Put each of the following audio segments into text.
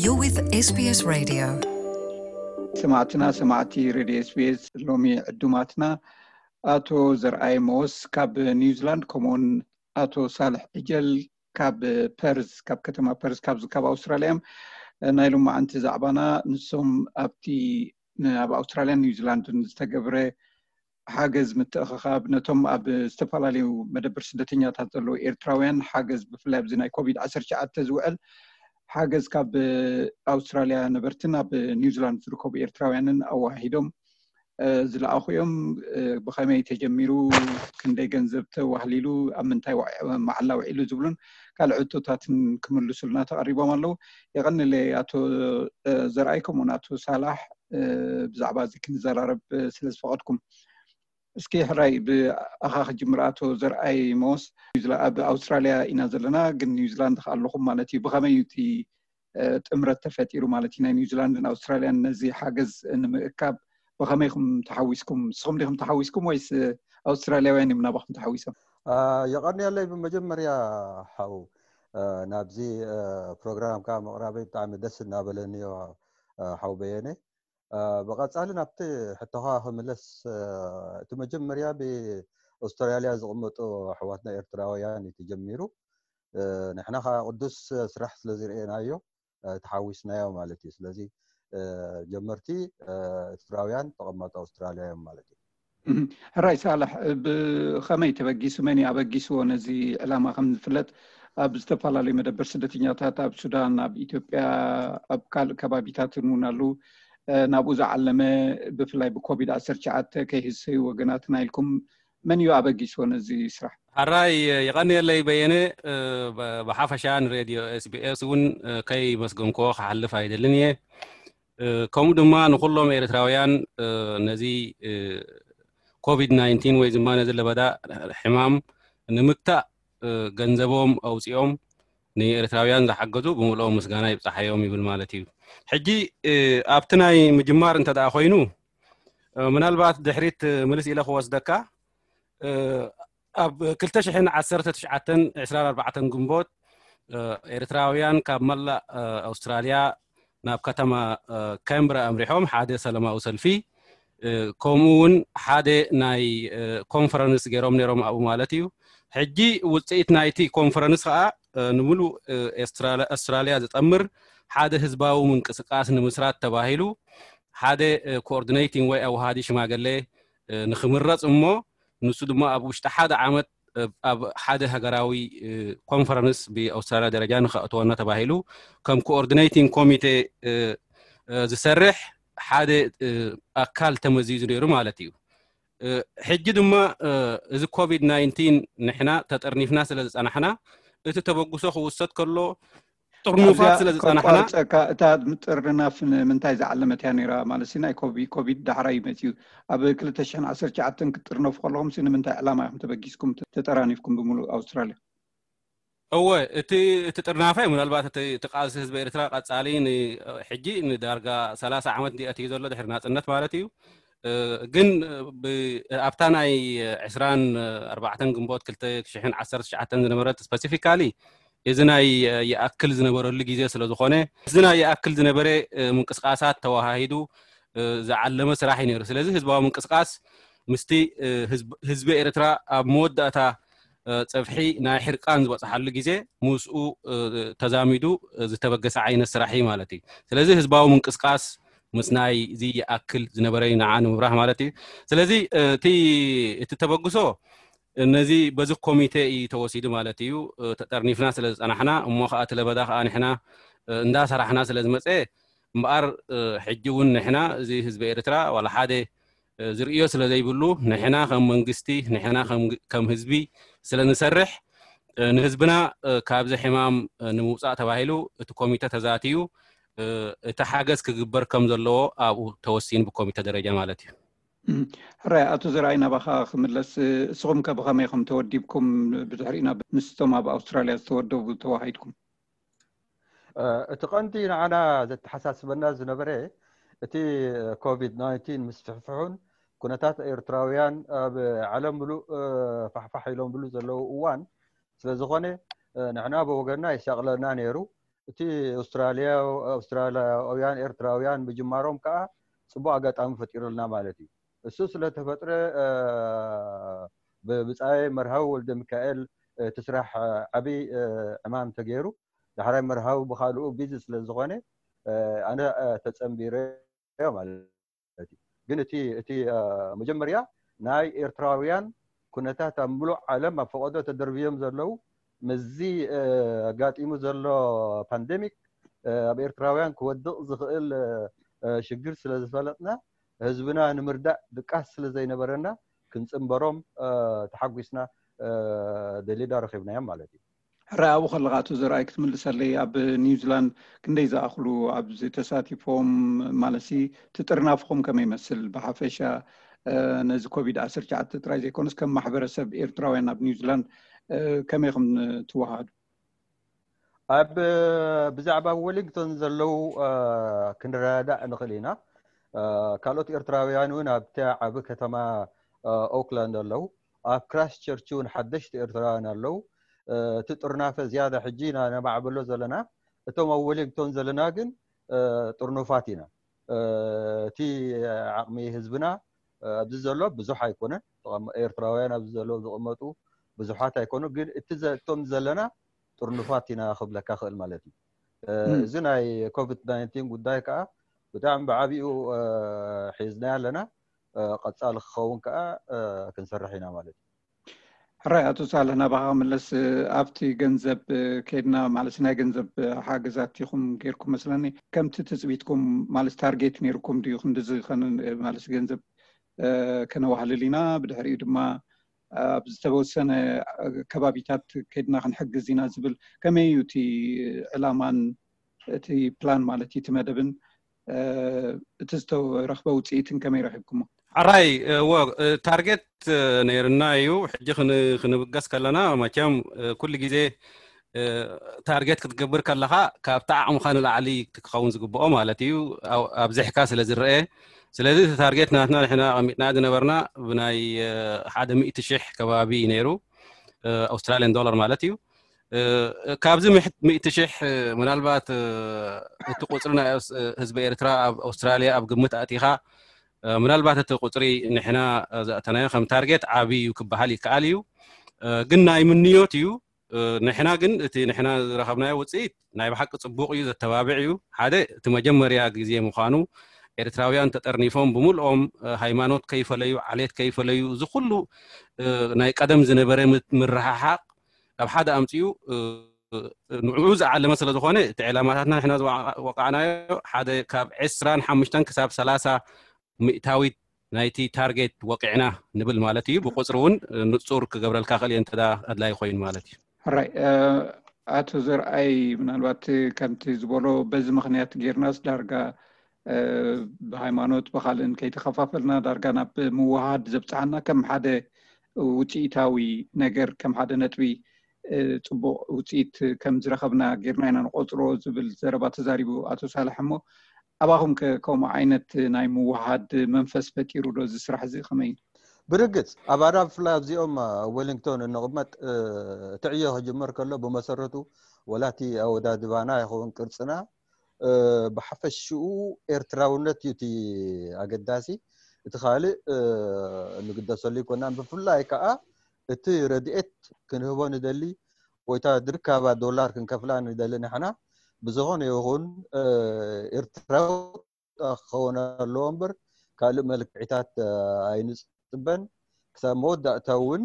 You're with S B S Radio. ሰማዕትና ሰማዕቲ ሬድዮ ኤስቢኤስ፣ ሎሚ ዕዱማትና ኣቶ ዘርኣይ ሞስ ካብ ኒውዚላንድ፣ ከምኡውን ኣቶ ሳልሕ ዕጀል ካብ ፐርዝ፣ ካብ ከተማ ፐርዝ፣ ካብ ካብ ኣውስትራልያ እዮም። ናይ ሎማዓንቲ ዛዕባና ንሶም ኣብቲ ን- ኣብ ኣውስትራልያን ኒውዚላንድን ዝተገብረ ሓገዝ ምትእኽኻብ፣ ነቶም ኣብ ዝተፈላለዩ መደብር ስደተኛታት ዘለዉ ኤርትራውያን ሓገዝ፣ ብፍላይ ኣብዚ ናይ ኮቪድ ዓሰርተ ትሽዓተ ዝውዕል ሓገዝ ካብ ኣውስትራልያ ነበርትን ኣብ ኒውዚላንድ ዝርከቡ ኤርትራውያንን ኣዋሂዶም ዝለኣኹ እዮም። ብኸመይ ተጀሚሩ፣ ክንደይ ገንዘብ ተዋህሊሉ፣ ኣብ ምንታይ መዓላ ውዒሉ ዝብሉን ካልእ ሕቶታትን ክምልሱልና ተቐሪቦም ኣለዉ። የቐንለይ ኣቶ ዘርኣይ፣ ከምኡውን ኣቶ ሳላሕ፣ ብዛዕባ እዚ ክንዘራረብ ስለ ዝፈቐድኩም። እስኪ ሕራይ ብኣኻ ክጅምር። ኣቶ ዘርኣይ ሞስ፣ ኣብ ኣውስትራልያ ኢና ዘለና፣ ግን ኒውዚላንድ ከ ኣለኹም ማለት እዩ። ብኸመይ እዩ እቲ ጥምረት ተፈጢሩ ማለት እዩ፣ ናይ ኒውዚላንድን ኣውስትራልያን ነዚ ሓገዝ ንምእካብ? ብኸመይ ኢኹም ተሓዊስኩም? ንስኹም ዲኹም ተሓዊስኩም ወይስ ኣውስትራልያውያን እዮም ናባኹም ተሓዊሶም? የቐንየለይ። ብመጀመርያ ሓው ናብዚ ፕሮግራምካ ምቕራበይ ብጣዕሚ ደስ እናበለኒ እዩ ሓው በየነ። ብቐጻሊ ናብቲ ሕቶኻ ክምለስ፣ እቲ መጀመርያ ብኣውስትራልያ ዝቕመጡ ኣሕዋትና ኤርትራውያን እዩ ተጀሚሩ። ንሕና ከዓ ቅዱስ ስራሕ ስለ ዝርእናዮ ተሓዊስናዮ ማለት እዩ። ስለዚ ጀመርቲ ኤርትራውያን ተቐማጦ ኣውስትራልያ እዮም ማለት እዩ። ሕራይ ሳልሕ፣ ብኸመይ ተበጊሱ፣ መን እዩ ኣበጊስዎ ነዚ ዕላማ? ከም ዝፍለጥ ኣብ ዝተፈላለዩ መደበር ስደተኛታት ኣብ ሱዳን፣ ኣብ ኢትዮጵያ፣ ኣብ ካልእ ከባቢታትን እውን ኣለዉ። ናብኡ ዝዓለመ፣ ብፍላይ ብኮቪድ ዓሰርተ ትሽዓተ ከይህሰዩ ወገናትና ኢልኩም፣ መን እዩ ኣበጊስዎ ነዚ ስራሕ? ሕራይ የቐንየለይ በየነ። ብሓፈሻ ንሬድዮ ኤስቢኤስ እውን ከይመስገንክዎ ክሓልፍ ኣይደልን እየ። ከምኡ ድማ ንኩሎም ኤርትራውያን ነዚ ኮቪድ ናይንቲን ወይ ድማ ነዚ ለበዳ ሕማም ንምግታእ ገንዘቦም ኣውፂኦም ንኤርትራውያን ዝሓገዙ ብምልኦም ምስጋና ይብፃሓዮም ይብል ማለት እዩ። ሕጂ ኣብቲ ናይ ምጅማር እንተ ደኣ ኮይኑ፣ ምናልባት ድሕሪት ምልስ ኢለ ክወስደካ፣ ኣብ ክልተ ሽሕን ዓሰርተ ትሽዓተን ዕስራን ኣርባዕተን ግንቦት ኤርትራውያን ካብ መላእ ኣውስትራልያ ናብ ከተማ ካምብራ ኣምሪሖም ሓደ ሰላማዊ ሰልፊ፣ ከምኡ እውን ሓደ ናይ ኮንፈረንስ ገይሮም ነይሮም ኣብኡ ማለት እዩ። ሕጂ ውፅኢት ናይቲ ኮንፈረንስ ከዓ ንምሉእ ኣውስትራልያ ዝጠምር ሓደ ህዝባዊ ምንቅስቃስ ንምስራት ተባሂሉ ሓደ ኮኦርዲኔቲንግ ወይ ኣውሃዲ ሽማግሌ ንክምረፅ እሞ ንሱ ድማ ኣብ ውሽጢ ሓደ ዓመት ኣብ ሓደ ሃገራዊ ኮንፈረንስ ብኣውስትራልያ ደረጃ ንኸእተወና ተባሂሉ ከም ኮኦርዲኔቲንግ ኮሚቴ ዝሰርሕ ሓደ ኣካል ተመዚዙ ነይሩ ማለት እዩ። ሕጂ ድማ እዚ ኮቪድ ናይንቲን ንሕና ተጠርኒፍና ስለ ዝፀናሕና እቲ ተበግሶ ክውሰድ ከሎ ጥርኑፋት ስለ ዝፀናሕና። እታ ጥርናፍ ንምንታይ ዝዓለመት እያ ነይራ ማለት ናይ ኮቪድ ዳሕራይ መፅዩ? ኣብ ክልተ ሽሕን ዓሰርተ ትሽዓተን ክትጥርነፉ ከለኹም ንምንታይ ዕላማ ኢኹም ተበጊስኩም ተጠራኒፍኩም ብምሉእ ኣውስትራልያ? እወ፣ እቲ እቲ ጥርናፈ ምናልባት እቲ ቃልሲ ህዝቢ ኤርትራ ቀፃሊ ሕጂ ንዳርጋ ሰላሳ ዓመት እንዲ ኣትዩ ዘሎ ድሕሪ ናፅነት ማለት እዩ። ግን ኣብታ ናይ ዕስራን ኣርባዕተን ግንቦት ክልተ ሽሕን ዓሰርተ ትሽዓተን ዝነበረት ስፐሲፊካሊ እዚ ናይ ይኣክል ዝነበረሉ ግዜ ስለ ዝኾነ እዚ ናይ ይኣክል ዝነበረ ምንቅስቃሳት ተወሃሂዱ ዝዓለመ ስራሕ እዩ ነይሩ። ስለዚ ህዝባዊ ምንቅስቃስ ምስቲ ህዝቢ ኤርትራ ኣብ መወዳእታ ፀፍሒ ናይ ሕርቃን ዝበፅሓሉ ግዜ ምስኡ ተዛሚዱ ዝተበገሰ ዓይነት ስራሕ እዩ ማለት እዩ። ስለዚ ህዝባዊ ምንቅስቃስ ምስ ናይ እዚ ይኣክል ዝነበረ እዩ ንዓ ንምብራህ ማለት እዩ። ስለዚ እቲ እቲ ተበግሶ ነዚ በዚ ኮሚቴ እዩ ተወሲዱ ማለት እዩ። ተጠርኒፍና ስለ ዝፀናሕና እሞ ከዓ እቲ ለበዳ ከዓ ንሕና እንዳሰራሕና ስለ ዝመፀ እምበኣር ሕጂ እውን ንሕና እዚ ህዝቢ ኤርትራ ዋላ ሓደ ዝርእዮ ስለ ዘይብሉ ንሕና ከም መንግስቲ ንሕና ከም ህዝቢ ስለ ንሰርሕ ንህዝብና ካብዚ ሕማም ንምውፃእ ተባሂሉ እቲ ኮሚተ ተዛትዩ እቲ ሓገዝ ክግበር ከም ዘለዎ ኣብኡ ተወሲኑ ብኮሚተ ደረጃ ማለት እዩ። ሕራይ ኣቶ ዘርኣይ ናባኻ ክምለስ፣ እስኹም ከ ብኸመይ ኢኹም ተወዲብኩም? ብድሕሪኡ ናብ ምስቶም ኣብ ኣውስትራልያ ዝተወደቡ ተዋሃሂድኩም? እቲ ቀንዲ ንዓና ዘተሓሳስበና ዝነበረ እቲ ኮቪድ ናይንቲን ምስፍሕፍሑን ኩነታት ኤርትራውያን ኣብ ዓለም ምሉእ ፋሕፋሕ ኢሎምሉ ዘለዉ እዋን ስለ ዝኾነ ንሕና ብወገንና የሻቕለና ነይሩ። እቲ ኣውስትራልያ ኣውስትራልያውያን ኤርትራውያን ምጅማሮም ከዓ ፅቡቅ ኣጋጣሚ ፈጢሩልና ማለት እዩ። እሱ ስለተፈጥረ ብብፃይ መርሃዊ ወልደ ሚካኤል እቲ ስራሕ ዓብይ ዕማም ተገይሩ። ዳሕራይ መርሃዊ ብካልኡ ቢዚ ስለዝኾነ ኣነ ተፀንቢረ ማለት እዩ። ግን እቲ እቲ መጀመርያ ናይ ኤርትራውያን ኩነታት ኣብ ምሉእ ዓለም ኣብ ፈቐዶ ተደርብዮም ዘለዉ ምስዚ ኣጋጢሙ ዘሎ ፓንደሚክ ኣብ ኤርትራውያን ክወድቕ ዝኽእል ሽግር ስለ ዝፈለጥና ህዝብና ንምርዳእ ድቃስ ስለ ዘይነበረና ክንፅንበሮም ተሓጒስና ደሊዳ ረኺብናዮም ማለት እዩ። ሕራይ ኣብኡ ከለኻ ኣቶ ዘርኣይ ክትምልሰለይ ኣብ ኒውዚላንድ ክንደይ ዝኣኽሉ ኣብዚ ተሳቲፎም ማለትሲ ትጥርናፍኹም ከመይ ይመስል ብሓፈሻ ነዚ ኮቪድ ዓሰርተ ትሽዓተ ጥራይ ዘይኮነስ ከም ማሕበረሰብ ኤርትራውያን ኣብ ኒውዚላንድ ከመይ ኢኹም ትወሃዱ? ኣብ ብዛዕባ ወሊንግቶን ዘለዉ ክንረዳዳእ ንኽእል ኢና። ካልኦት ኤርትራውያን እውን ኣብቲ ዓቢ ከተማ ኦክላንድ ኣለዉ። ኣብ ክራይስቸርች እውን ሓደሽቲ ኤርትራውያን ኣለዉ። እቲ ጥርናፈ ዝያዳ ሕጂ ኢና ነማዕብሎ ዘለና። እቶም ኣብ ወሊንግቶን ዘለና ግን ጥርኑፋት ኢና። እቲ ዓቕሚ ህዝብና ኣብዚ ዘሎ ብዙሕ ኣይኮነን። ኤርትራውያን ኣብዚ ዘለዉ ዝቕመጡ ብዙሓት ኣይኮኑ፣ ግን እቲ እቶም ዘለና ጥርኑፋት ኢና ክብለካ ክእል ማለት እዩ። እዚ ናይ ኮቪድ ናይንቲን ጉዳይ ከዓ ብጣዕሚ ብዓቢኡ ሒዝናዮ ኣለና። ቀፃሊ ክኸውን ከዓ ክንሰርሕ ኢና ማለት እዩ። ሕራይ ኣቶ ሳልሕ ናባኻ ክምለስ ኣብቲ ገንዘብ ከይድና ማለት ናይ ገንዘብ ሓገዛት ኢኹም ጌርኩም መስለኒ። ከምቲ ትፅቢትኩም ማለት ታርጌት ነይርኩም ድዩ ክንድዚ ማለት ገንዘብ ከነዋህልል ኢና ብድሕሪኡ ድማ ኣብ ዝተወሰነ ከባቢታት ከይድና ክንሕግዝ ኢና ዝብል ከመይ እዩ እቲ ዕላማን እቲ ፕላን ማለት እቲ መደብን እቲ ዝተረኽበ ውፅኢትን ከመይ ረኺብኩሞ? ሕራይ እዎ ታርጌት ነይርና እዩ። ሕጂ ክንብገስ ከለና መቸም ኩሉ ግዜ ታርጌት ክትገብር ከለኻ ካብቲ ዓቕምኻ ንላዕሊ ክኸውን ዝግብኦ ማለት እዩ ኣብዚሕካ ስለ ዝረአ። ስለዚ እቲ ታርጌት ናትና ንሕና ኣቐሚጥና ዝነበርና ብናይ ሓደ ሚእቲ ሽሕ ከባቢ ነይሩ ኣውስትራልያን ዶላር ማለት እዩ። ካብዚ ሚእቲ ሽሕ ምናልባት እቲ ቁፅሪ ናይ ህዝቢ ኤርትራ ኣብ ኣውስትራልያ ኣብ ግምት ኣእቲኻ ምናልባት እቲ ቁፅሪ ንሕና ዘእተናዮ ከም ታርጌት ዓብዪ እዩ ክበሃል ይከኣል እዩ። ግን ናይ ምንዮት እዩ። ንሕና ግን እቲ ንሕና ዝረኸብናዮ ውፅኢት ናይ ብሓቂ ፅቡቕ እዩ፣ ዘተባብዕ እዩ። ሓደ እቲ መጀመርያ ግዜ ምዃኑ ኤርትራውያን ተጠርኒፎም ብምልኦም ሃይማኖት ከይፈለዩ ዓሌት ከይፈለዩ እዚ ኩሉ ናይ ቀደም ዝነበረ ምርሕሓቕ ካብ ሓደ ኣምፅኡ ንዕኡ ዝዓለመ ስለ ዝኾነ እቲ ዕላማታትና ንሕና ዝወቃዕናዮ ሓደ ካብ ዕስራን ሓሙሽተን ክሳብ ሰላሳ ሚእታዊት ናይቲ ታርጌት ወቂዕና ንብል ማለት እዩ። ብቁፅሪ እውን ንፁር ክገብረልካ ክእል እየ እንተ ኣድላይ ኮይኑ ማለት እዩ። ሕራይ ኣቶ ዘርኣይ ምናልባት ከምቲ ዝበሎ በዚ ምክንያት ጌርናስ ዳርጋ ብሃይማኖት ብካልእን ከይተኸፋፈልና ዳርጋ ናብ ምውሃድ ዘብፅሓና ከም ሓደ ውፅኢታዊ ነገር ከም ሓደ ነጥቢ ፅቡቕ ውፅኢት ከም ዝረኸብና ጌርና ኢና ንቆፅሮ ዝብል ዘረባ ተዛሪቡ ኣቶ ሳልሕ። እሞ ኣባኹም ከምኡ ዓይነት ናይ ምውሃድ መንፈስ ፈጢሩ ዶ እዚ ስራሕ እዚ ከመይ? ብርግፅ ኣብ ኣዳ ብፍላይ ኣብዚኦም ወሊንግቶን እንቕመጥ እቲ ዕዮ ክጅመር ከሎ ብመሰረቱ ወላቲ ኣወዳድባና ይኸውን ቅርፅና ብሓፈሽኡ ኤርትራውነት እዩ እቲ ኣገዳሲ። እቲ ካልእ እንግደሰሉ ይኮናን። ብፍላይ ከዓ እቲ ረድኤት ክንህቦ ንደሊ ወይታ ድርካባ ዶላር ክንከፍላ ንደሊ ንሕና ብዝኾነ ይኹን ኤርትራዊ ክኸውን ኣለዎ እምበር ካልእ መልክዕታት ኣይንፅበን። ክሳብ መወዳእታ እውን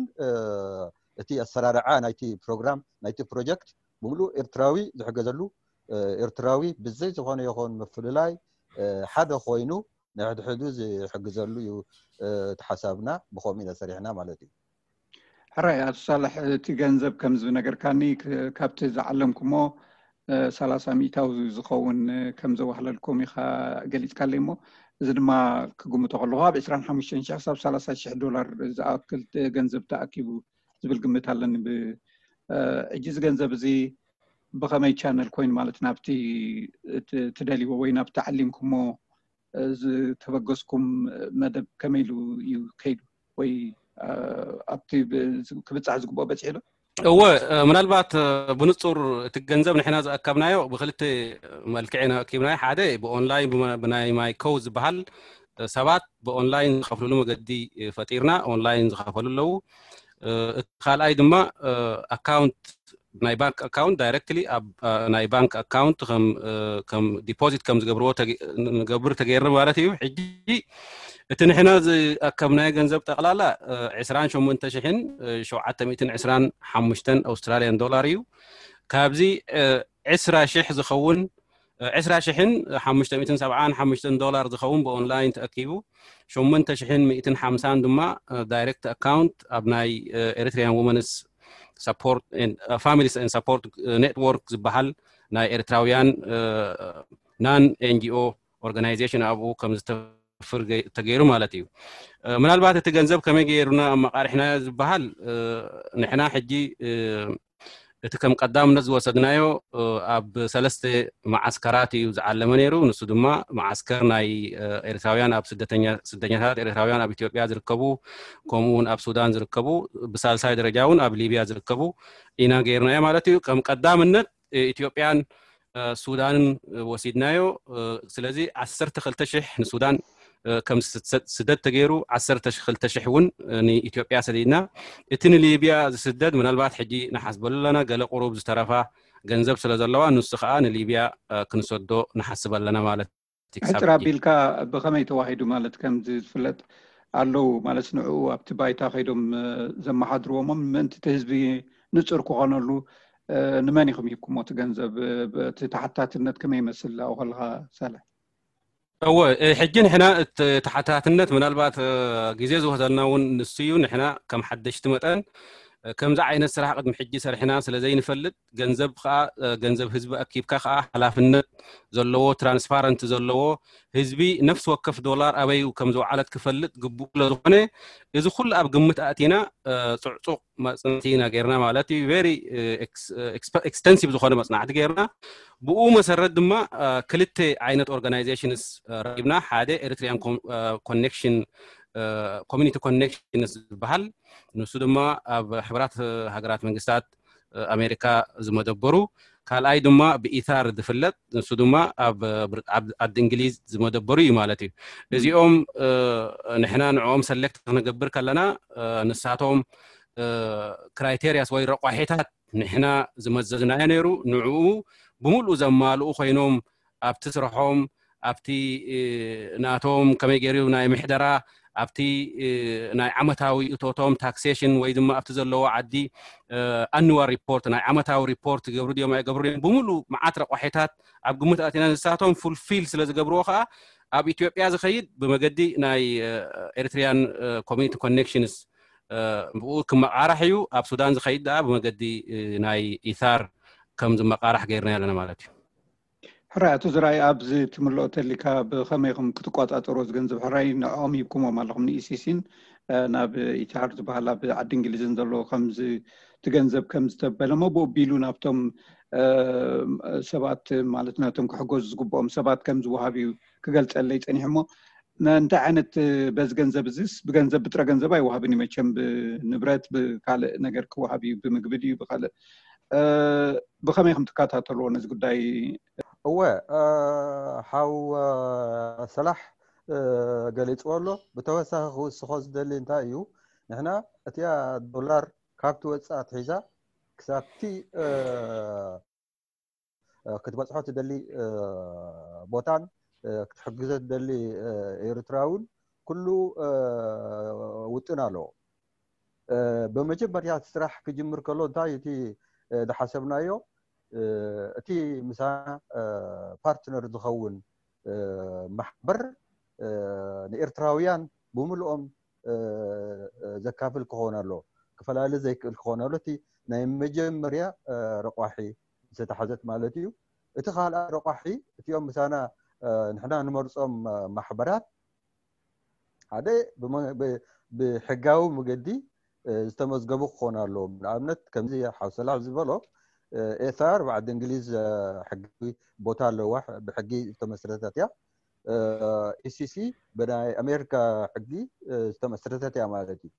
እቲ ኣሰራርዓ ናይቲ ፕሮግራም ናይቲ ፕሮጀክት ብምሉእ ኤርትራዊ ዝሕገዘሉ ኤርትራዊ ብዘይ ዝኾነ ይኹን ምፍልላይ ሓደ ኮይኑ ንሕድሕዱ ዝሕግዘሉ እዩ እቲ ሓሳብና። ብኸምኡ ኢና ሰሪሕና ማለት እዩ። ሕራይ ኣቶ ሳልሕ እቲ ገንዘብ ከም ዝነገርካኒ ካብቲ ዝዓለምኩሞ ሰላሳ ሚእታዊ ዝኸውን ከም ዘዋህለልኩም ኢኻ ገሊፅካለይ። እሞ እዚ ድማ ክግምቶ ከለኹ ኣብ ዕስራን ሓሙሽተን ሽሕ ክሳብ ሰላሳ ሽሕ ዶላር ዝኣክል ገንዘብ ተኣኪቡ ዝብል ግምት ኣለኒ። ሕጂ እዚ ገንዘብ እዚ ብኸመይ ቻነል ኮይኑ ማለት ናብቲ ትደልይዎ ወይ ናብቲ ዓሊምኩሞ ዝተበገስኩም መደብ ከመይ ኢሉ እዩ ከይዱ ወይ ኣብቲ ክብፃሕ ዝግብኦ በፂሑ ዶ? እወ፣ ምናልባት ብንጹር እቲ ገንዘብ ንሕና ዝኣከብናዮ ብክልተ መልክዕ ኢና ኣኪብናዮ። ሓደ ብኦንላይን ብናይ ማይኮ ዝበሃል ሰባት ብኦንላይን ዝኸፍልሉ መገዲ ፈጢርና፣ ኦንላይን ዝኸፈሉ ኣለዉ። እቲ ካልኣይ ድማ ኣካውንት፣ ናይ ባንክ ኣካውንት ዳይረክትሊ ኣብ ናይ ባንክ ኣካውንት ከም ዲፖዚት ከም ዝገብርዎ ንገብር ተገይርና ማለት እዩ። ሕጂ እቲ ንሕና ዝኣከብናዮ ገንዘብ ጠቕላላ ዕስራን ሸሞንተ ሽሕን ሸውዓተ ሚእትን ዕስራን ሓሙሽተን ኣውስትራልያን ዶላር እዩ። ካብዚ ዕስራ ሽሕ ዝኸውን ዕስራ ሽሕን ሓሙሽተ ሚእትን ሰብዓን ሓሙሽተን ዶላር ዝኸውን ብኦንላይን ተኣኪቡ፣ ሸሞንተ ሽሕን ሚእትን ሓምሳን ድማ ዳይሬክት ኣካውንት ኣብ ናይ ኤሪትሪያን ወመንስ ሳፖርት ፋሚሊስ ኤንድ ሳፖርት ኔትወርክ ዝበሃል ናይ ኤርትራውያን ናን ኤንጂኦ ኦርጋናይዜሽን ኣብኡ ከም ዝተፍር ተገይሩ ማለት እዩ። ምናልባት እቲ ገንዘብ ከመይ ገይሩና ኣመቃሪሕናዮ ዝበሃል ንሕና ሕጂ እቲ ከም ቀዳምነት ዝወሰድናዮ ኣብ ሰለስተ መዓስከራት እዩ ዝዓለመ ነይሩ። ንሱ ድማ መዓስከር ናይ ኤርትራውያን ኣብ ስደተኛታት ኤርትራውያን ኣብ ኢትዮጵያ ዝርከቡ፣ ከምኡ እውን ኣብ ሱዳን ዝርከቡ፣ ብሳልሳይ ደረጃ እውን ኣብ ሊብያ ዝርከቡ ኢና ገይርናዮ ማለት እዩ። ከም ቀዳምነት ኢትዮጵያን ሱዳንን ወሲድናዮ። ስለዚ ዓሰርተ ክልተ ሽሕ ንሱዳን ከም ስደት ተገይሩ፣ ዓሰርተ ክልተ ሽሕ እውን ንኢትዮጵያ ሰዲድና። እቲ ንሊብያ ዝስደድ ምናልባት ሕጂ ንሓስበሉ ኣለና፣ ገለ ቁሩብ ዝተረፋ ገንዘብ ስለ ዘለዋ ንሱ ከዓ ንሊብያ ክንሰዶ ንሓስብ ኣለና ማለት እዩ። ክሳብ ሕጂ። ኣቢልካ ብኸመይ ተዋሂዱ ማለት ከምዚ ዝፍለጥ ኣለዉ ማለት ንዕኡ ኣብቲ ባይታ ከይዶም ዘመሓድርዎሞም ምእንቲ እቲ ህዝቢ ንጹር ክኾነሉ ንመን ኢኹም ሂብኩሞ እቲ ገንዘብ? እቲ ተሓታትነት ከመይ ይመስል ኣብኡ ከለኻ ሳልሕ? እወ፣ ሕጂ ንሕና እቲ ተሓታትነት ምናልባት ግዜ ዝወሰደልና እውን ንሱ እዩ። ንሕና ከም ሓደሽቲ መጠን ከምዚ ዓይነት ስራሕ ቅድሚ ሕጂ ሰሪሕና ስለ ዘይንፈልጥ፣ ገንዘብ ከዓ ገንዘብ ህዝቢ ኣኪብካ ከዓ ሓላፍነት ዘለዎ ትራንስፓረንት ዘለዎ ህዝቢ ነፍሲ ወከፍ ዶላር ኣበይ ከም ዝወዓለት ክፈልጥ ግቡእ ስለ ዝኾነ እዚ ኩሉ ኣብ ግምት ኣእቲና ጽዕጹቕ መጽናዕቲ ኢና ገይርና ማለት እዩ። ቨሪ ኤክስቴንሲቭ ዝኾነ መጽናዕቲ ገይርና። ብኡ መሰረት ድማ ክልተ ዓይነት ኦርጋናይዜሽንስ ረኪብና። ሓደ ኤሪትሪያን ኮኔክሽን ኮሚኒቲ ኮኔክሽንስ ዝበሃል፣ ንሱ ድማ ኣብ ሕብራት ሃገራት መንግስታት ኣሜሪካ ዝመደበሩ፣ ካልኣይ ድማ ብኢታር ዝፍለጥ፣ ንሱ ድማ ኣብ ዓዲ እንግሊዝ ዝመደበሩ እዩ ማለት እዩ። እዚኦም ንሕና ንዕኦም ሰሌክት ክንገብር ከለና ንሳቶም ክራይቴሪያስ ወይ ረቋሒታት ንሕና ዝመዘዝናዮ ነይሩ። ንዕኡ ብምሉእ ዘማልኡ ኮይኖም ኣብቲ ስርሖም ኣብቲ ናቶም ከመይ ገይሩ ናይ ምሕደራ ኣብቲ ናይ ዓመታዊ እቶቶም ታክሴሽን ወይ ድማ ኣብቲ ዘለዎ ዓዲ ኣንዋል ሪፖርት ናይ ዓመታዊ ሪፖርት ይገብሩ ድዮም ኣይገብሩ ድዮም ብምሉእ መዓት ረቋሒታት ኣብ ግምት ኣቲና ንሳቶም ፉልፊል ስለ ዝገብርዎ ከዓ ኣብ ኢትዮጵያ ዝኸይድ ብመገዲ ናይ ኤሪትሪያን ኮሚኒቲ ኮኔክሽንስ ብኡ ክመቃራሕ እዩ። ኣብ ሱዳን ዝኸይድ ደኣ ብመገዲ ናይ ኢታር ከም ዝመቃራሕ ገይርና ኣለና ማለት እዩ። ሕራይ ኣቶ ዝራይ ኣብዚ ትምልኦ ተሊካ ብኸመይ ኢኹም ክትቆጻጸሩ ዝገንዘብ ሕራይ ንዕኦም ሂብኩሞም ኣለኹም ንኢሲሲን ናብ ኢቲሃር ዝበሃል ኣብ ዓዲ እንግሊዝን ዘለዎ ከምዚ ትገንዘብ ከም ዝተበለሞ ብኡ ቢሉ ናብቶም ሰባት ማለት ናቶም ክሕገዙ ዝግብኦም ሰባት ከም ዝወሃብ እዩ ክገልጸለይ ጸኒሑ እሞ እንታይ ዓይነት በዚ ገንዘብ እዚስ ብገንዘብ ብጥረ ገንዘብ ኣይወሃብን እዩ መቸም ብንብረት ብካልእ ነገር ክወሃብ እዩ ብምግቢ ድዩ ብካልእ ብኸመይ ከም ትከታተልዎ ነዚ ጉዳይ? እወ ሓው ሰላሕ ገሊፅዎ ኣሎ። ብተወሳኺ ክውስኾ ዝደሊ እንታይ እዩ፣ ንሕና እቲኣ ዶላር ካብ ትወፅእ ኣትሒዛ ክሳብቲ ክትበፅሖ ትደሊ ቦታን ክትሕግዞ ትደሊ ኤርትራውን ኩሉ ውጥን ኣለዎ። ብመጀመርያ እቲ ስራሕ ክጅምር ከሎ እንታይ እቲ ዝሓሰብናዮ እቲ ምሳና ፓርትነር ዝኸውን ማሕበር ንኤርትራውያን ብምልኦም ዘካፍል ክኸውን ኣሎ፣ ክፈላለ ዘይክእል ክኸውን ኣሎ። እቲ ናይ መጀመርያ ረቋሒ ዝተታሕዘት ማለት እዩ። እቲ ካልኣ ረቋሒ እቲኦም ምሳና ንሕና ንመርፆም ማሕበራት ሓደ ብሕጋዊ መገዲ ዝተመዝገቡ ክኾኑ ኣለዎም። ንኣብነት ከምዚ ሓው ሰላሕ ዝበሎ ኤስኣር ብዓዲ እንግሊዝ ሕጋዊ ቦታ ኣለዋ፣ ብሕጊ ዝተመስረተት እያ። ኢሲሲ ብናይ ኣሜሪካ ሕጊ ዝተመስረተት እያ ማለት እዩ።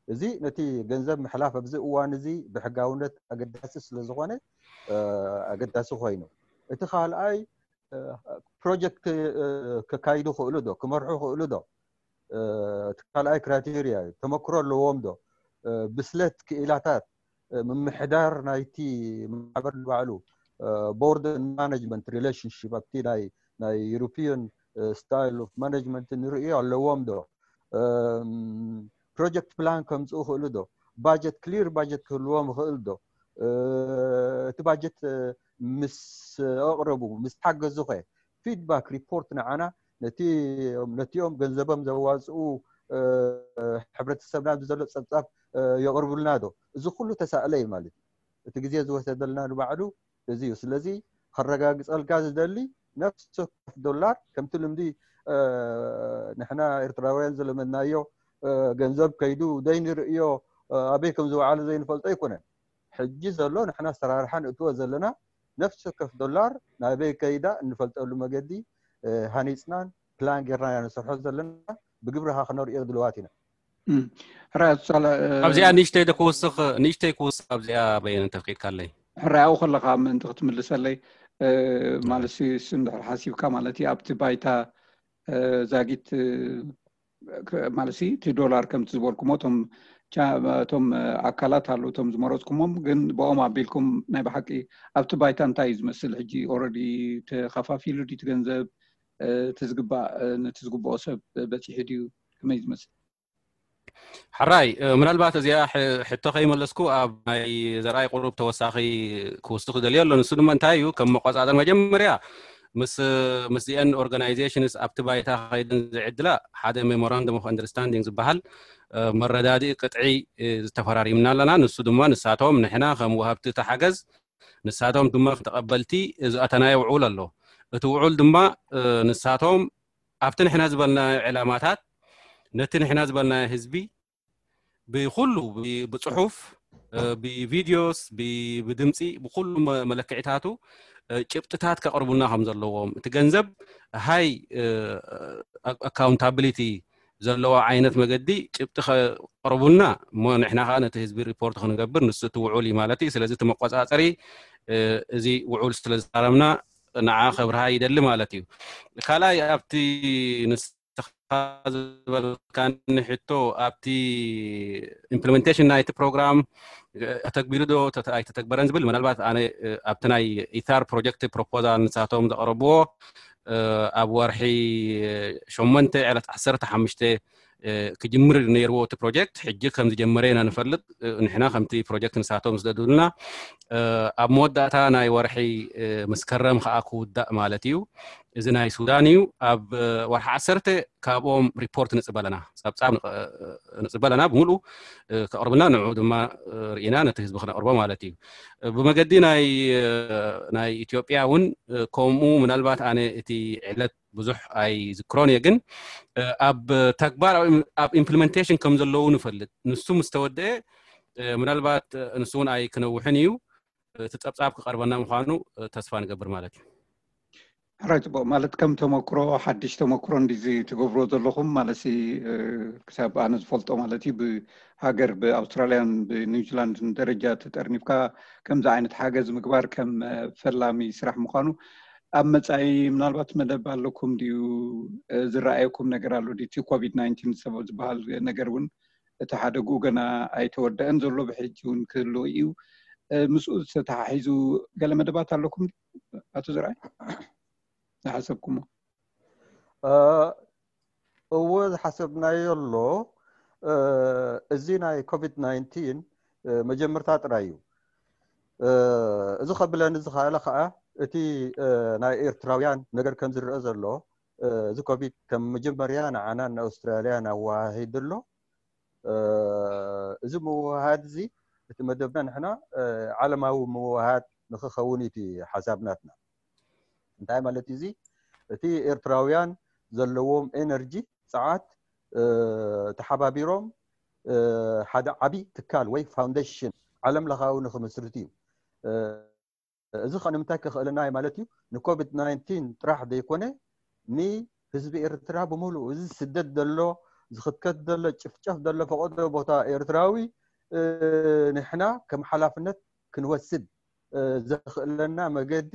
እዚ ነቲ ገንዘብ ምሕላፍ ኣብዚ እዋን እዚ ብሕጋውነት ኣገዳሲ ስለ ዝኾነ ኣገዳሲ ኮይኑ፣ እቲ ካልኣይ ፕሮጀክት ከካይዱ ክእሉ ዶ ክመርሑ ክእሉ ዶ? እቲ ካልኣይ ክራይቴርያ እዩ። ተመክሮ ኣለዎም ዶ? ብስለት ክኢላታት ምምሕዳር ናይቲ ማሕበር ንባዕሉ board and management relationship ኣብቲ ናይ ናይ European style of management ንርእዮ ኣለዎም ዶ? ፕሮጀክት ፕላን ከምፅኡ ክእሉ ዶ? ባጀት ክሊር ባጀት ክህልዎም ይኽእል ዶ? እቲ ባጀት ምስ ኣቕረቡ ምስ ሓገዙ ኸ ፊድባክ ሪፖርት ንዓና ነቲ ነቲኦም ገንዘቦም ዘዋፅኡ ሕብረተሰብና ብዘሎ ፀብፃብ የቕርቡልና ዶ? እዚ ኩሉ ተሳእለ እዩ ማለት እዩ። እቲ ግዜ ዝወሰደልና ንባዕሉ እዚ እዩ። ስለዚ ከረጋግፀልካ ዝደሊ ነፍሲ ወከፍ ዶላር ከምቲ ልምዲ ንሕና ኤርትራውያን ዝለመድናዮ ገንዘብ ከይዱ ዘይንርእዮ ኣበይ ከም ዝወዓለ ዘይንፈልጦ ኣይኮነን። ሕጂ ዘሎ ንሕና ኣሰራርሓ ንእትዎ ዘለና ነፍሲ ወከፍ ዶላር ናበይ ከይዳ እንፈልጠሉ መገዲ ሃኒፅናን ፕላን ጌርና ኢና ንሰርሖ ዘለና። ብግብሪ ከ ክነርእዮ ድልዋት ኢና። ሕራይ ኣቱሳላ ኣብዚኣ ንእሽተይ ዶ ክውስኽ ንእሽተይ ክውስኽ ኣብዚኣ በየነ እንተፍቂድካለይ። ሕራይ ኣብኡ ከለኻ ምእንቲ ክትምልሰለይ ማለት ሲ እንድሕር ሓሲብካ ማለት እዩ ኣብቲ ባይታ ዛጊት ማለት ሲ እቲ ዶላር ከምቲ ዝበልኩሞ እቶም እቶም ኣካላት ኣለዉ እቶም ዝመረፅኩሞም ግን ብኦም ኣቢልኩም ናይ ብሓቂ ኣብቲ ባይታ እንታይ እዩ ዝመስል ሕጂ already ተኸፋፊሉ ድዩ እቲ ገንዘብ እቲ ዝግባእ ነቲ ዝግብኦ ሰብ በፂሑ ድዩ ከመይ ዝመስል? ሕራይ ምናልባት እዚኣ ሕቶ ከይመለስኩ ኣብ ናይ ዘርኣይ ቁሩብ ተወሳኺ ክውስኽ ዝደልዮ ኣሎ። ንሱ ድማ እንታይ እዩ ከም መቆፃፀር መጀመርያ ምስ ምስዚአን organizations ኣብቲ ባይታ ከይደን ዝዕድላ ሓደ memorandum of understanding ዝበሃል መረዳድኢ ቅጥዒ ዝተፈራሪምና ኣለና። ንሱ ድማ ንሳቶም ንሕና ከም ወሃብቲ እቲ ሓገዝ ንሳቶም ድማ ተቐበልቲ ዝኣተናዮ ውዑል ኣሎ። እቲ ውዑል ድማ ንሳቶም ኣብቲ ንሕና ዝበልናዮ ዕላማታት ነቲ ንሕና ዝበልናዮ ህዝቢ ብኩሉ ብፅሑፍ ብቪድዮስ ብድምፂ ብኩሉ መለክዒታቱ ጭብጥታት ከቕርቡና ከም ዘለዎም እቲ ገንዘብ ሃይ ኣካውንታብሊቲ ዘለዎ ዓይነት መገዲ ጭብጢ ከቕርቡና እሞ ንሕና ከዓ ነቲ ህዝቢ ሪፖርት ክንገብር ንሱ እቲ ውዑል እዩ ማለት እዩ። ስለዚ እቲ መቆፃፀሪ እዚ ውዑል ስለ ዝዛረብና ንዓ ከብርሃ ይደሊ ማለት እዩ። ካልኣይ ኣብቲ ንስኻ ዝበልካኒ ሕቶ ኣብቲ implementation ናይቲ ፕሮግራም ተተግቢሩ ዶ ኣይተተግበረን ዝብል ምናልባት ኣነ ኣብቲ ናይ ኢታር ፕሮጀክት ፕሮፖዛል ንሳቶም ዘቕረብዎ ኣብ ወርሒ ሸሞንተ ዕለት ዓሰርተ ሓሙሽተ ክጅምር ነይርዎ እቲ ፕሮጀክት ሕጂ ከም ዝጀመረ ኢና ንፈልጥ። ንሕና ከምቲ ፕሮጀክት ንሳቶም ዝደዱልና ኣብ መወዳእታ ናይ ወርሒ መስከረም ከዓ ክውዳእ ማለት እዩ። እዚ ናይ ሱዳን እዩ። ኣብ ወርሒ ዓሰርተ ካብኦም ሪፖርት ንፅበለና ፀብፃብ ንፅበለና ብምሉእ ከቕርብና ንዑ ድማ ርኢና ነቲ ህዝቢ ክነቕርቦ ማለት እዩ። ብመገዲ ናይ ናይ ኢትዮጵያ እውን ከምኡ ምናልባት ኣነ እቲ ዕለት ብዙሕ ኣይዝክሮን እየ ግን ኣብ ተግባር ኣብ implementation ከም ዘለዉ ንፈልጥ። ንሱ ምስ ተወደአ ምናልባት ንሱ እውን ኣይክነውሕን እዩ። እቲ ፀብፃብ ክቐርበና ምዃኑ ተስፋ ንገብር ማለት እዩ። ሕራይ ፅቡቅ ማለት ከም ተመክሮ ሓድሽ ተመክሮ እንዲዚ ትገብሮ ዘለኹም ማለት ክሳብ ኣነ ዝፈልጦ ማለት እዩ ብሃገር ብኣውስትራልያን ብኒውዚላንድን ደረጃ ተጠርኒፍካ ከምዚ ዓይነት ሓገዝ ምግባር ከም ፈላሚ ስራሕ ምዃኑ ኣብ መፃኢ ምናልባት መደብ ኣለኩም ድዩ ዝረኣየኩም ነገር ኣሎ ድዩ እቲ ኮቪድ ናይንቲን ዝበሃል ነገር እውን እቲ ሓደግኡ ገና ኣይተወደአን ዘሎ ብሕጂ እውን ክህልው እዩ ምስኡ ዝተተሓሒዙ ገለ መደባት ኣለኩም ኣቶ ዘርኣይ ዝሓሰብኩሞ እወ ዝሓሰብናዮ ኣሎ እዚ ናይ ኮቪድ ናይንቲን መጀመርታ ጥራይ እዩ እዚ ከብለኒ ዝኸኣለ ከዓ እቲ ናይ ኤርትራውያን ነገር ከም ዝረአ ዘሎ እዚ ኮቪድ ከም መጀመርያ ንዓናን ንኣውስትራልያን ኣወሃሂዱ ኣሎ እዚ ምውሃድ እዚ እቲ መደብና ንሕና ዓለማዊ ምውሃድ ንክኸውን እቲ ሓሳብ ናትና እንታይ ማለት እዩ እዚ እቲ ኤርትራውያን ዘለዎም ኤነርጂ ፀዓት ተሓባቢሮም ሓደ ዓብይ ትካል ወይ ፋውንዴሽን ዓለም ለኻዊ ንክምስርት እዩ እዚ ከ ንምንታይ ከኽእለና እዩ ማለት እዩ ንኮቪድ ናይንቲን ጥራሕ ዘይኮነ ንህዝቢ ኤርትራ ብምሉእ እዚ ስደት ዘሎ ዝኽከት ዘሎ ጭፍጨፍ ዘሎ ፈቐዶ ቦታ ኤርትራዊ ንሕና ከም ሓላፍነት ክንወስድ ዘኽእለና መገዲ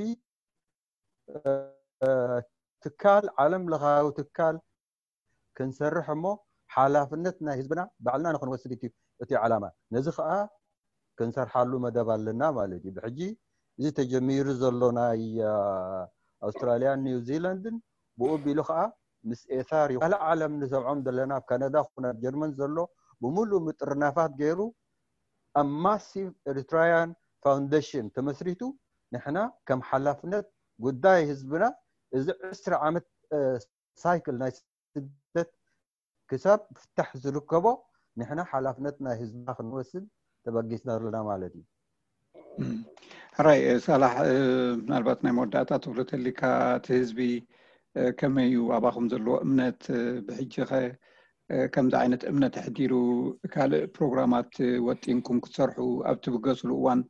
ትካል፣ ዓለም ለኻዊ ትካል ክንሰርሕ እሞ ሓላፍነት ናይ ህዝብና ባዕልና ንክንወስድ እዩ እቲ ዓላማ። ነዚ ከዓ ክንሰርሓሉ መደብ ኣለና ማለት እዩ። ብሕጂ እዚ ተጀሚሩ ዘሎ ናይ ኣውስትራልያን ኒውዚላንድን ብኡ ቢሉ ከዓ ምስ ኤታር እዩ። ካልእ ዓለም ንሰምዖም ዘለና ኣብ ካናዳ ኹን ኣብ ጀርመን ዘሎ ብምሉእ ምጥርናፋት ገይሩ ኣብ ማሲቭ ኤሪትራያን ፋውንዴሽን ተመስሪቱ ንሕና ከም ሓላፍነት ጉዳይ ህዝብና እዚ ዕስራ ዓመት ሳይክል ናይ ስደት ክሳብ ፍታሕ ዝርከቦ ንሕና ሓላፍነት ናይ ህዝብና ክንወስድ ተበጊስና ኣለና ማለት እዩ። ሕራይ ሳላሕ፣ ምናልባት ናይ መወዳእታ ትብሎ ተሊካ እቲ ህዝቢ ከመይ እዩ ኣባኹም ዘለዎ እምነት? ብሕጂ ኸ ከምዚ ዓይነት እምነት ኣሕዲሩ ካልእ ፕሮግራማት ወጢንኩም ክትሰርሑ ኣብ ትብገስሉ እዋን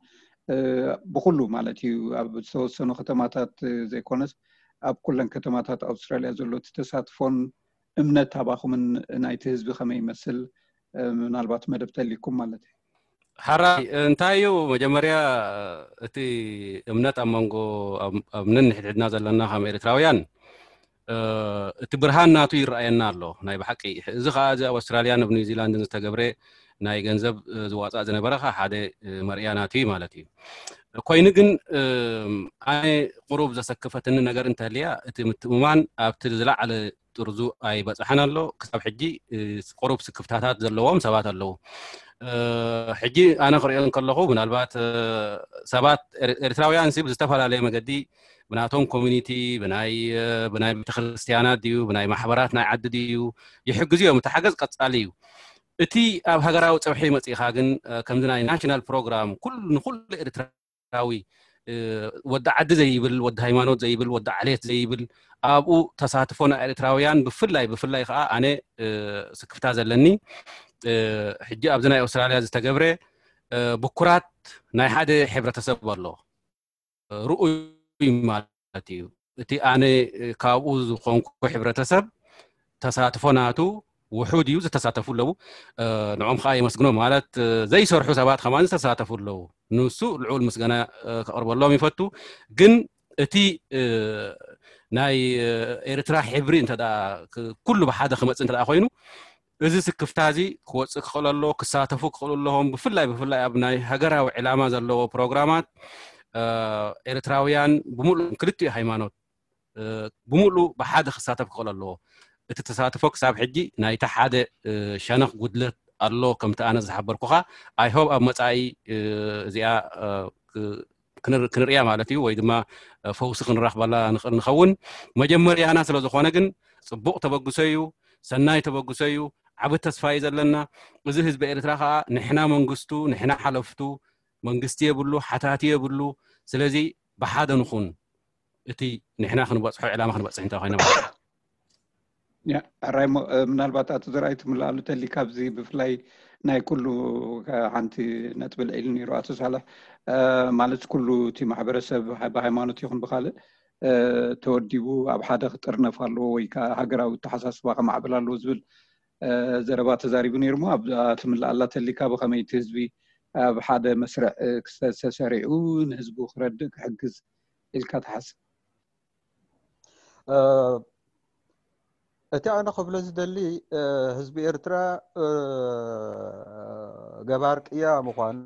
ብኩሉ ማለት እዩ ኣብ ዝተወሰኑ ከተማታት ዘይኮነስ ኣብ ኩለን ከተማታት ኣውስትራልያ ዘሎ እቲ ተሳትፎን እምነት ኣባኹምን ናይቲ ህዝቢ ከመይ ይመስል? ምናልባት መደብ ተሊኩም ማለት እዩ። ሓራይ እንታይ እዩ መጀመርያ እቲ እምነት ኣብ መንጎ ኣብ ነንሕድሕድና ዘለና ከም ኤርትራውያን እቲ ብርሃን ናቱ ይረኣየና ኣሎ ናይ ብሓቂ። እዚ ከዓ እዚ ኣብ ኣውስትራልያን ኣብ ኒውዚላንድን ዝተገብረ ናይ ገንዘብ ዝዋፃእ ዝነበረ ከዓ ሓደ መርያ ናቱ እዩ ማለት እዩ። ኮይኑ ግን ኣነ ቁሩብ ዘሰክፈትኒ ነገር እንተልያ እቲ ምትእምማን ኣብቲ ዝለዓለ ጥርዙ ኣይበፅሐን ኣሎ። ክሳብ ሕጂ ቁሩብ ስክፍታታት ዘለዎም ሰባት ኣለዉ። ሕጂ ኣነ ክሪኦ እንከለኹ ምናልባት ሰባት ኤርትራውያን ሲ ብዝተፈላለየ መገዲ ብናቶም ኮሚኒቲ ብናይ ብናይ ቤተክርስትያናት ድዩ ብናይ ማሕበራት ናይ ዓዲ ድዩ ይሕግዙ እዮም። እቲ ሓገዝ ቀፃሊ እዩ። እቲ ኣብ ሃገራዊ ፀብሒ መፂእኻ ግን ከምዚ ናይ ናሽናል ፕሮግራም ኩሉ ንኩሉ ኤርትራዊ ወዲ ዓዲ ዘይብል ወዲ ሃይማኖት ዘይብል ወዲ ዓሌት ዘይብል ኣብኡ ተሳትፎ ናይ ኤርትራውያን ብፍላይ ብፍላይ ከዓ ኣነ ስክፍታ ዘለኒ ሕጂ ኣብዚ ናይ ኣውስትራልያ ዝተገብረ ብኩራት ናይ ሓደ ሕብረተሰብ ኣሎ ርኡይ ማለት እዩ። እቲ ኣነ ካብኡ ዝኾንኩ ሕብረተሰብ ተሳትፎ ናቱ ውሑድ እዩ። ዝተሳተፉ ኣለዉ። ንዖም ከዓ የመስግኖ ማለት ዘይሰርሑ ሰባት ከማን ዝተሳተፉ ኣለዉ። ንሱ ልዑል ምስጋና ከቕርበሎም ይፈቱ። ግን እቲ ናይ ኤርትራ ሕብሪ እንተ ኩሉ ብሓደ ክመፅእ እንተ ኮይኑ እዚ ስክፍታ እዚ ክወፅእ ክኽእል ኣለዎ። ክሳተፉ ክኽእሉ ኣለዎም። ብፍላይ ብፍላይ ኣብ ናይ ሃገራዊ ዕላማ ዘለዎ ፕሮግራማት ኤርትራውያን ብምሉእ ክልቲኡ ሃይማኖት ብምሉእ ብሓደ ክሳተፍ ክኽእል ኣለዎ። እቲ ተሳትፎ ክሳብ ሕጂ ናይቲ ሓደ ሸነኽ ጉድለት ኣሎ። ከምቲ ኣነ ዝሓበርኩኻ ኣይሆብ ኣብ መፃኢ እዚኣ ክንርእያ ማለት እዩ ወይ ድማ ፈውሲ ክንራኽበላ ንኽእል ንኸውን። መጀመርያና ስለ ዝኾነ ግን ፅቡቕ ተበግሶ እዩ፣ ሰናይ ተበግሶ እዩ። ዓብ ተስፋ እዩ ዘለና። እዚ ህዝቢ ኤርትራ ከዓ ንሕና መንግስቱ ንሕና ሓለፍቱ መንግስቲ የብሉ ሓታቲ የብሉ። ስለዚ ብሓደ ንኹን እቲ ንሕና ክንበፅሖ ዕላማ ክንበፅሕ እንታይ ኮይና ማለት እዩ። ሕራይ ምናልባት ኣቶ ዘርኣይ ትምልኣሉ ተሊ ካብዚ ብፍላይ ናይ ኩሉ ሓንቲ ነጥቢ ልዒሉ ነይሩ ኣቶ ሳልሕ ማለት ኩሉ እቲ ማሕበረሰብ ብሃይማኖት ይኹን ብካልእ ተወዲቡ ኣብ ሓደ ክጥርነፍ ኣለዎ ወይ ከዓ ሃገራዊ ተሓሳስባ ከማዕብል ኣለዎ ዝብል ዘረባ ተዛሪቡ ነይሩ ሞ ኣብዛ ትምልኣላ ተሊካ ብከመይ እቲ ህዝቢ ኣብ ሓደ መስርዕ ክስተሰሪዑ ንህዝቡ ክረድእ ክሕግዝ ኢልካ ትሓስብ? እቲ ኣነ ክብሎ ዝደሊ ህዝቢ ኤርትራ ገባር ቅያ ምዃኑ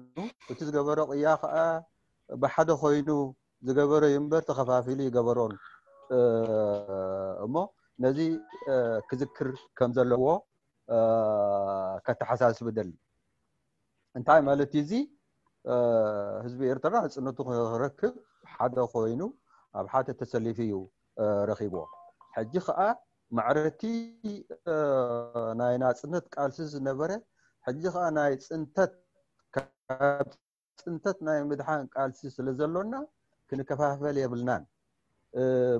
እቲ ዝገበሮ ቅያ ከዓ ብሓደ ኮይኑ ዝገበሮ እዩ እምበር ተኸፋፊሉ ይገበሮን እሞ ነዚ ክዝክር ከም ዘለዎ ከተሓሳስብ ደሊ። እንታይ ማለት እዩ እዚ? ህዝቢ ኤርትራ ናፅነቱ ክረክብ ሓደ ኮይኑ ኣብ ሓደ ተሰሊፉ እዩ ረኺብዎ። ሕጂ ከዓ ማዕረቲ ናይ ናፅነት ቃልሲ ዝነበረ ሕጂ ከዓ ናይ ፅንተት ካብ ፅንተት ናይ ምድሓን ቃልሲ ስለ ዘሎና ክንከፋፈል የብልናን።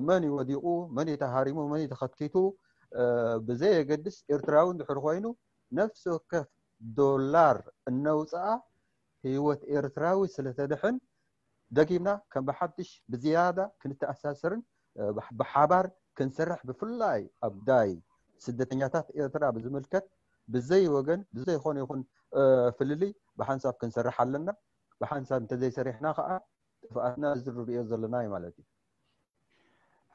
መን እዩ ወዲቑ፣ መን እዩ ተሃሪሙ፣ መን እዩ ተኸቲቱ ብዘየገድስ ኤርትራዊ እንድሕር ኮይኑ ነፍሲ ወከፍ ዶላር እነውፅኣ ህይወት ኤርትራዊ ስለተድሕን ደጊምና ከም ብሓድሽ ብዝያዳ ክንተኣሳሰርን ብሓባር ክንሰርሕ ብፍላይ ኣብ ጉዳይ ስደተኛታት ኤርትራ ብዝምልከት ብዘይ ወገን ብዘይኮነ ይኹን ፍልልይ ብሓንሳብ ክንሰርሕ ኣለና። ብሓንሳብ እንተዘይሰሪሕና ከዓ ጥፍኣትና እዚ ንሪኦ ዘለና እዩ ማለት እዩ።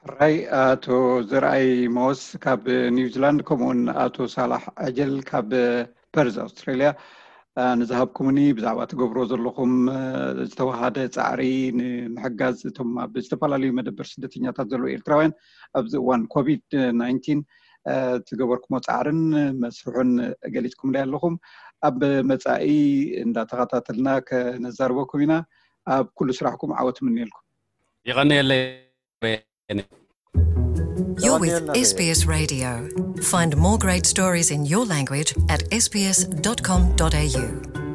ሕራይ ኣቶ ዘርኣይ መወስ ካብ ኒውዚላንድ፣ ከምኡውን ኣቶ ሳላሕ ኣጀል ካብ ፐርዝ ኣውስትራሊያ፣ ንዝሃብኩምኒ ብዛዕባ ትገብሮ ዘለኹም ዝተዋሃደ ፃዕሪ ንምሕጋዝ እቶም ኣብ ዝተፈላለዩ መደበር ስደተኛታት ዘለዉ ኤርትራውያን ኣብዚ እዋን ኮቪድ ናይንቲን ትገበርኩሞ ፃዕርን መስርሑን ገሊፅኩምለይ ኣለኹም። ኣብ መፃኢ እንዳተኸታተልና ከነዛርበኩም ኢና። ኣብ ኩሉ ስራሕኩም ዓወት ምንየልኩም። ይቐንየለይ። You're with S B S Radio. Find more great stories in your language at S B S dot com dot A U.